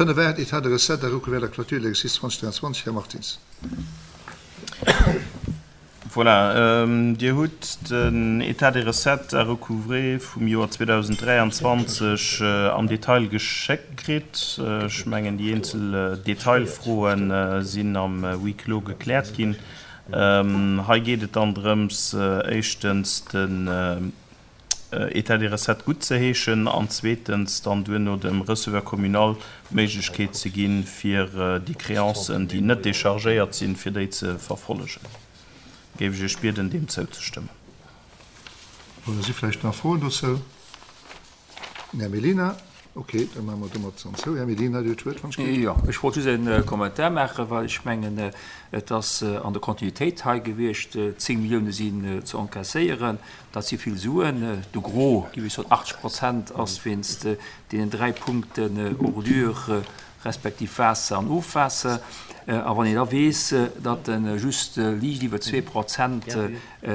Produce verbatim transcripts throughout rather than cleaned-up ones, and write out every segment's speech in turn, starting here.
Fënnef aacht, État de recettes à recouvrer la clôture de l'exercice zwanzeg dräianzwanzeg, Här Martins. Voilà, Dir hutt den État des recettes à recouvrer vum Joer zweedausenddräianzwanzeg am Detail geschéckt kritt. Ech mengen, déi eenzel Detailfroe sinn am Huis clos gekläert ginn. Hei geet et dann drëms, éischtens den État des recettes guttzeheeschen an zweetens dann duerno dem Receveur communal d'Méiglechkeet ze ginn, fir déi Créancen, déi net déchargéiert sinn, fir déi ze verfollegen. Géif ech Iech bieden, deem zouzestëmmen. Voilà, si vläicht nach Froen dozou? Den Här Mellina. Okay, da maache mer domat dann zou. Här Mellina, Dir hutt d'Wuert, wann ech géif. Jo, ech wollt just e Kommentar maachen, well ech mengen, et ass an der Kontinuitéit hei gewiescht. Zéng Millioune sinn ze encaisséieren, dat si vill Suen. De Gros, géif ech soen, achtzeg Prozent ass wéinst deenen dräi Punkten Ordure respektiv Waasser an Ofwaasser. A wann een da weess, datt just liicht iwwer zwee Prozent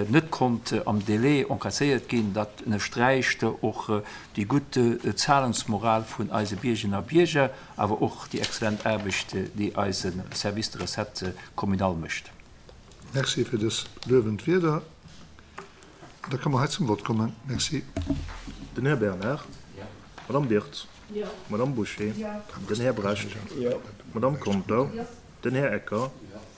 net konnt am Délai encaisséiert ginn, dat ënnersträicht och déi gutt Zahlungsmoral vun eise Biergerinnen a Bierger, awer och déi exzellent Aarbecht, déi eise Service de recettes communal mécht. Merci fir dës luewend Wierder. Da ka mer hei zum Vott kommen. Merci. Den Här Bernard. D'Madame Birtz. D'Madame Bouché. Den Här Brecht. D'Madame Conter. Den Här Ecker.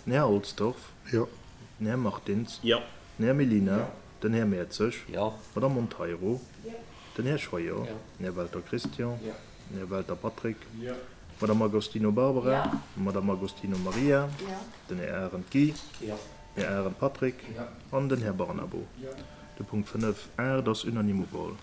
Den Här Olsdorf. Den Här Martins. Den Här Mellina. Den Här Mertzig. D'Madame Monteiro. Den Här Scheuer. Den Här Welter Christian. Den Här Welter Patrick. D'Madame Agostino Barbara. D'Madame Agostino Maria. Den Här Arendt Guy. Den Här Arendt Patrick an den Här Barnabo. De Punkt fënnef aacht ass unanime ugeholl.